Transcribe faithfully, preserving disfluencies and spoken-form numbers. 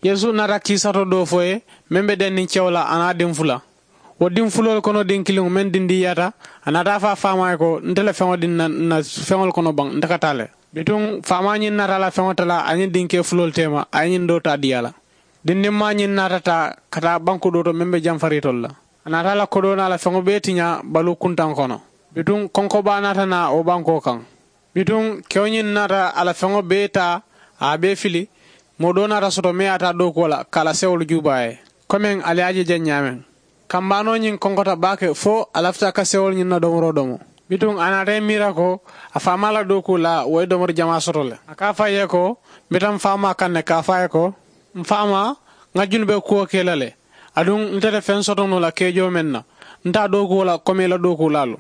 Yeesu naata kiisato doo fo ye meŋ be denniŋ kewo la a naa diŋ fula. Wo diŋ fuloolu kono diŋ kiliŋo meŋ dindiiyaata, a naata a fo a faamaa ye ko, nte le feŋo diŋ na n na feŋolu kono baŋ nte ka taa le. Bituŋ faamaa ñiŋ naata a la feŋo talaa a ñiŋ diŋ kee fuloolu teema a ye ñiŋ doo taa dii a la. Dindiŋ maa ñiŋ naata taa ka taa banku doo to meŋ be jamfariitolu la. A naata a la kodoo naa la feŋo bee tiñaa baluu kuntaŋo kono. Bituŋ konkobaa naata naa wo bankoo kaŋ. Bituŋ kewo ñiŋ naata a la feŋo bee taa a ye a bee fili. Moo doo naata soto meŋ ye a taa dookuwo la ka a la sewolu juubaa ye, komeŋ ali ye a je jaŋ ñaameŋ. Kambaanoo ñiŋ konkota baake fo a lafita ka sewolu ñiŋ na domoroo domo. Bituŋ a naata i miira ko a faamaa la dookuu la wo ye domori jamaa soto le. A ka a fo a ye ko, mbe taŋ faamaa kaŋ ne ka a fo a ye ko, m faamaa, ŋa junube kuwo ke i la le. Aduŋ nte te feŋ soto noo la keejoo meŋ na, nte a dookuwo la komeŋ i la dookuulaalu.